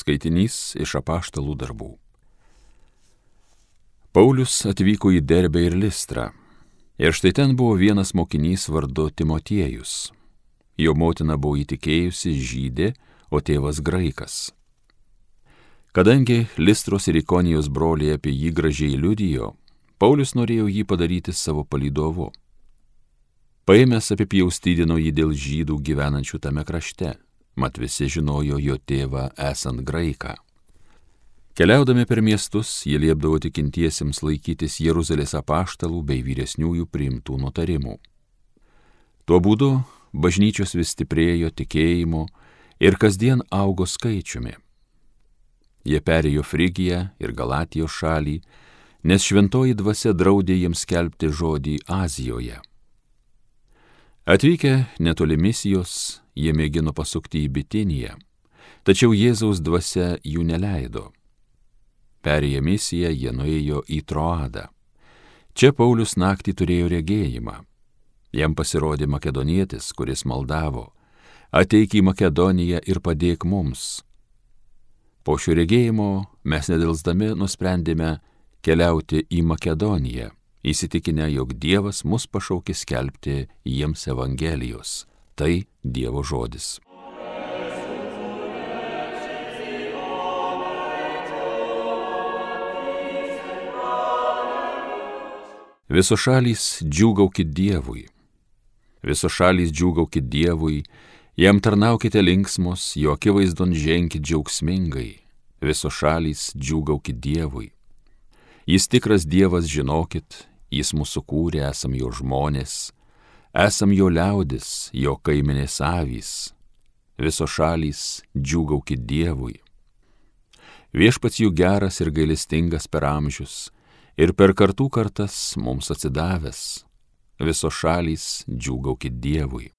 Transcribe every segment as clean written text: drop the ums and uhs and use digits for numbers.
Skaitinys iš Apaštalų darbų. Paulius atvyko į Derbę ir Listrą. Ir štai ten buvo vienas mokinys vardu Timotiejus. Jo motina buvo įtikėjusi žydė, o tėvas graikas. Kadangi Listros ir Ikonijos broliai apie jį gražiai liudijo, Paulius norėjo jį padaryti savo palydovu. Paėmęs apipjaustydino jį dėl žydų gyvenančių tame krašte, mat visi žinojo jo tėvą esant graiką. Keliaudami per miestus, jie liepdavo tikintiesiems laikytis Jeruzalės apaštalų bei vyresniųjų priimtų nutarimų. Tuo būdu bažnyčios vis stiprėjo tikėjimu ir kasdien augo skaičiumi. Jie perėjo Frigiją ir Galatijos šalį, nes šventoji dvasia draudė jiems skelbti žodį Azijoje. Atvykę netoli Misijos, jie mėgino pasukti į Bitiniją, tačiau Jėzaus dvasia jų neleido. Perėję Misiją, jie nuėjo į Troadą. Čia Paulius naktį turėjo regėjimą. Jam pasirodė makedonietis, kuris maldavo: ateik į Makedoniją ir padėk mums. Po šio regėjimo mes nedelsdami nusprendėme keliauti į Makedoniją, įsitikinę, jog Dievas mus pašaukė skelbti jiems Evangelijos. Tai Dievo žodis. Visos šalys džiūgaukit Dievui. Visos šalys džiūgaukit Dievui, jam tarnaukite linksmos, jo akivaizdon ženkit džiaugsmingai. Visos šalys džiūgaukit Dievui. Jis tikras Dievas, žinokit, jis mūsų kūrė, esam jo žmonės, esam jo liaudis, jo kaimenės avys. Visos šalys džiūgaukit Dievui. Viešpats jų geras ir gailestingas per amžius, ir per kartų kartas mums atsidavęs. Visos šalys džiūgaukit Dievui.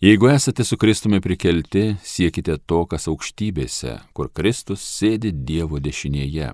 Jeigu esate su Kristumi prikelti, siekite to, kas aukštybėse, kur Kristus sėdi Dievo dešinėje.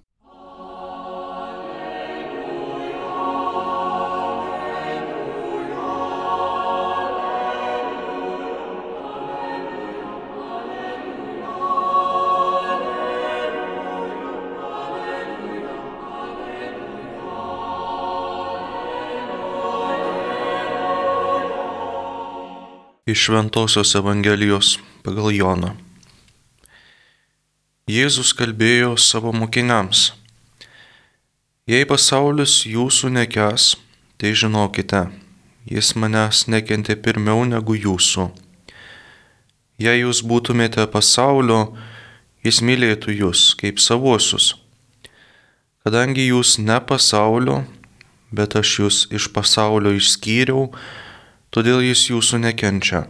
Iš Šventosios Evangelijos pagal Joną. Jėzus kalbėjo savo mokiniams: jei pasaulis jūsų nekęs, tai žinokite, jis manęs nekentė pirmiau negu jūsų. Jei jūs būtumėte pasaulio, jis mylėtų jūs kaip savuosius. Kadangi jūs ne pasaulio, bet aš jūs iš pasaulio išskyriau, todėl jis jūsų nekenčia.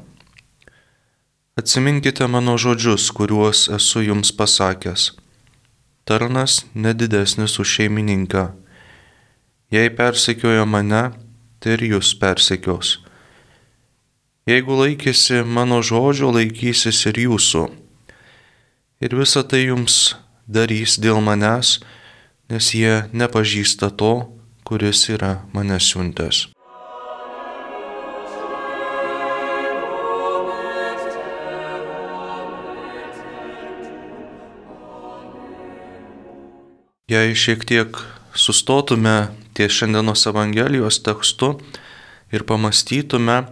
Atsiminkite mano žodžius, kuriuos esu jums pasakęs. Tarnas nedidesnis už šeimininką. Jei persekiojo mane, tai ir jūs persekios. Jeigu laikėsi mano žodžio, laikysis ir jūsų. Ir visa tai jums darys dėl manęs, nes jie nepažįsta to, kuris yra mane siuntęs. Jei šiek tiek sustotume ties šiandienos Evangelijos tekstu ir pamatytume,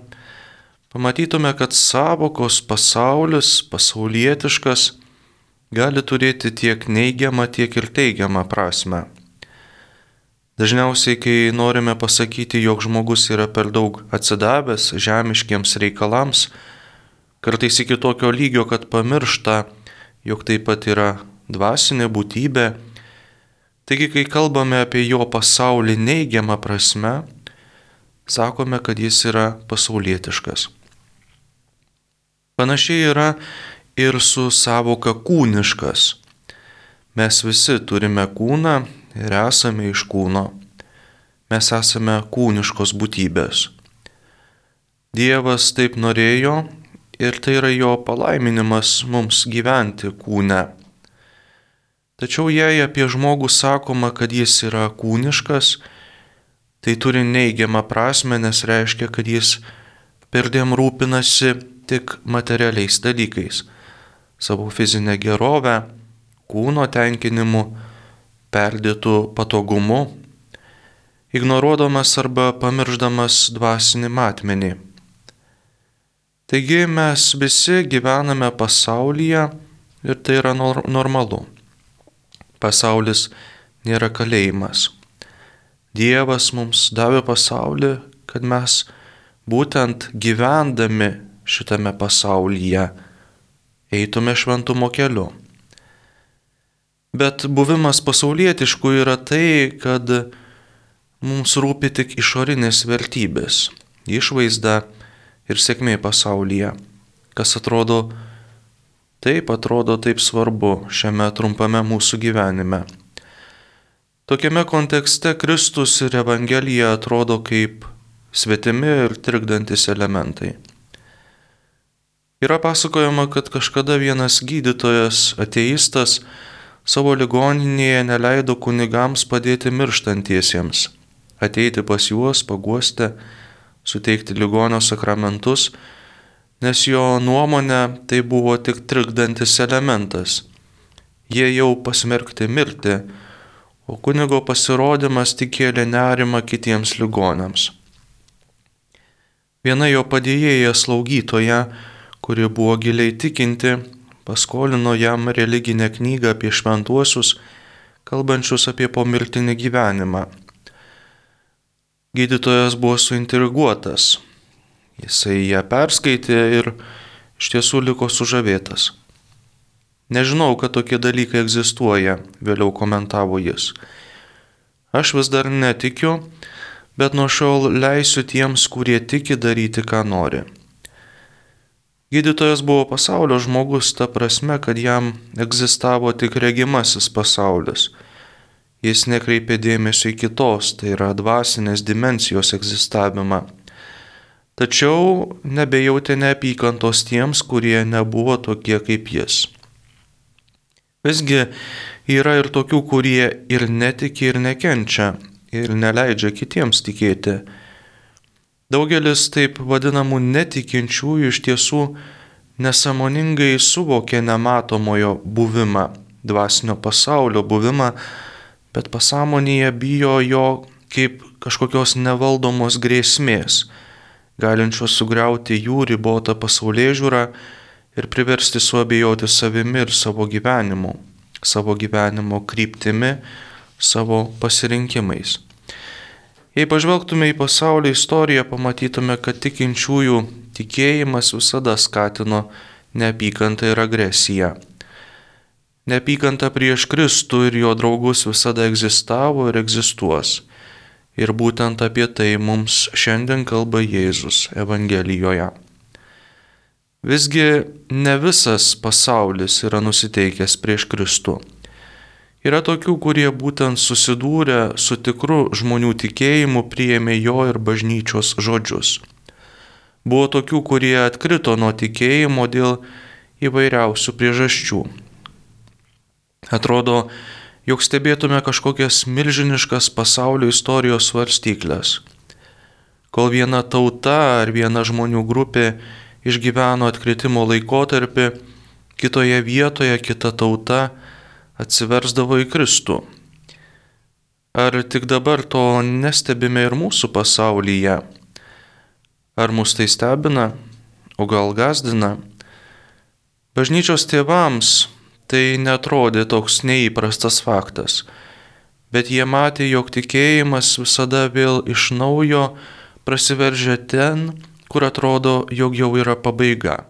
kad sąvokos pasaulis, pasaulietiškas, gali turėti tiek neigiamą, tiek ir teigiamą prasmę. Dažniausiai, kai norime pasakyti, jog žmogus yra per daug atsidavęs žemiškiems reikalams, kartais iki tokio lygio, kad pamiršta, jog taip pat yra dvasinė būtybė. Taigi, kai kalbame apie jo pasaulį neigiamą prasme, sakome, kad jis yra pasaulietiškas. Panašiai yra ir su sąvoka kūniškas. Mes visi turime kūną ir esame iš kūno. Mes esame kūniškos būtybės. Dievas taip norėjo ir tai yra jo palaiminimas mums gyventi kūne. Tačiau jei apie žmogų sakoma, kad jis yra kūniškas, tai turi neigiamą prasme, nes reiškia, kad jis perdėm rūpinasi tik materialiais dalykais, savo fizinę gerovę, kūno tenkinimu, perdėtų patogumu, ignoruodamas arba pamirždamas dvasinį matmenį. Taigi mes visi gyvename pasaulyje ir tai yra normalu. Pasaulis nėra kalėjimas. Dievas mums davė pasaulį, kad mes būtent gyvendami šitame pasaulyje eitume šventumo keliu. Bet buvimas pasaulietišku yra tai, kad mums rūpi tik išorinės vertybės, išvaizda ir sėkmė pasaulyje, kas atrodo taip svarbu šiame trumpame mūsų gyvenime. Tokiame kontekste Kristus ir Evangelija atrodo kaip svetimi ir trikdantis elementai. Yra pasakojama, kad kažkada vienas gydytojas, ateistas, savo ligoninėje neleido kunigams padėti mirštantiesiems, ateiti pas juos, paguosti, suteikti ligonio sakramentus, nes jo nuomonė tai buvo tik trikdantis elementas. Jie jau pasmerkti mirti, o kunigo pasirodymas tik kėlė nerimą kitiems ligoniams. Viena jo padėjėja slaugytoja, kuri buvo giliai tikinti, paskolino jam religinę knygą apie šventuosius, kalbančius apie pomirtinį gyvenimą. Gydytojas buvo suintriguotas. Jisai ją perskaitė ir iš tiesų liko sužavėtas. Nežinau, kad tokie dalykai egzistuoja, vėliau komentavo jis. Aš vis dar netikiu, bet nuo šiol leisiu tiems, kurie tiki, daryti, ką nori. Gydytojas buvo pasaulio žmogus ta prasme, kad jam egzistavo tik regimasis pasaulis. Jis nekreipė dėmesio į kitos, tai yra dvasinės dimensijos egzistavimą. Tačiau nebejautė neapykantos tiems, kurie nebuvo tokie kaip jis. Visgi yra ir tokių, kurie ir netiki, ir nekenčia, ir neleidžia kitiems tikėti. Daugelis taip vadinamų netikinčiųjų iš tiesų nesąmoningai suvokė nematomojo buvimą, dvasinio pasaulio buvimą, bet pasąmonėje bijo jo kaip kažkokios nevaldomos grėsmės, galinčios sugriauti jų ribotą pasaulėžiūrą ir priversti suabejoti savimi ir savo gyvenimo kryptimi, savo pasirinkimais. Jei pažvelgtume į pasaulio istoriją, pamatytume, kad tikinčiųjų tikėjimas visada skatino neapykantą ir agresiją. Neapykanta prieš Kristų ir jo draugus visada egzistavo ir egzistuos. Ir būtent apie tai mums šiandien kalba Jėzus Evangelijoje. Visgi ne visas pasaulis yra nusiteikęs prieš Kristų. Yra tokių, kurie būtent susidūrę su tikru žmonių tikėjimu priėmė jo ir bažnyčios žodžius. Buvo tokių, kurie atkrito nuo tikėjimo dėl įvairiausių priežasčių. Atrodo, jog stebėtume kažkokias milžiniškas pasaulio istorijos svarstyklės. Kol viena tauta ar viena žmonių grupė išgyveno atkritimo laikotarpį, kitoje vietoje kita tauta atsiversdavo į Kristų. Ar tik dabar to nestebime ir mūsų pasaulyje? Ar mus tai stebina, o gal gąsdina? Bažnyčios tėvams tai netrodė toks neįprastas faktas, bet jie matė, jog tikėjimas visada vėl iš naujo prasiveržia ten, kur atrodo, jog jau yra pabaiga.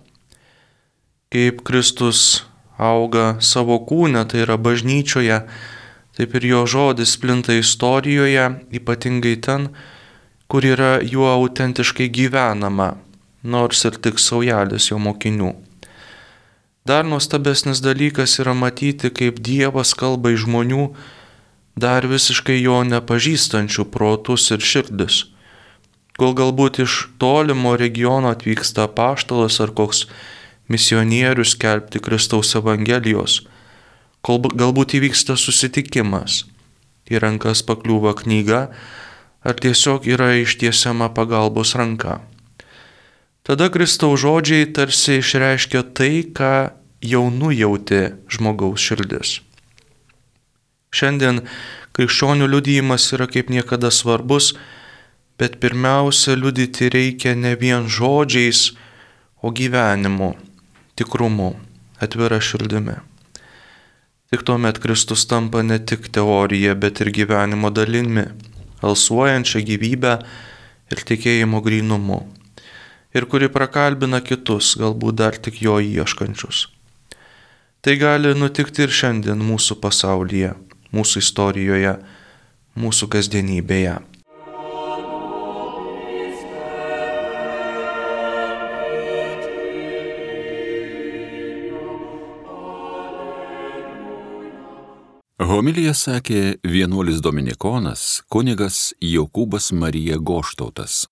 Kaip Kristus auga savo kūne, tai yra bažnyčioje, taip ir jo žodis plinta istorijoje, ypatingai ten, kur yra juo autentiškai gyvenama, nors ir tik saujelis jo mokinių. Dar nuostabesnis dalykas yra matyti, kaip Dievas kalba į žmonių, dar visiškai jo nepažįstančių protus ir širdis, kol galbūt iš tolimo regiono atvyksta apaštalas ar koks misionierius skelbti Kristaus Evangelijos, kol galbūt įvyksta susitikimas, į rankas pakliūva knyga ar tiesiog yra ištiesiama pagalbos ranka. Tada Kristaus žodžiai tarsi išreiškia tai, ką jau nujautė žmogaus širdis. Šiandien krikščionių liudijimas yra kaip niekada svarbus, bet pirmiausia liudyti reikia ne vien žodžiais, o gyvenimu, tikrumu, atvira širdimi. Tik tuomet Kristus tampa ne tik teorija, bet ir gyvenimo dalimi, alsuojančia gyvybę ir tikėjimo grynumu, ir kuri prakalbina kitus, galbūt dar tik jo ieškančius. Tai gali nutikti ir šiandien mūsų pasaulyje, mūsų istorijoje, mūsų kasdienybėje. Homiliją sakė vienuolis dominikonas kunigas Jokūbas Marija Goštautas.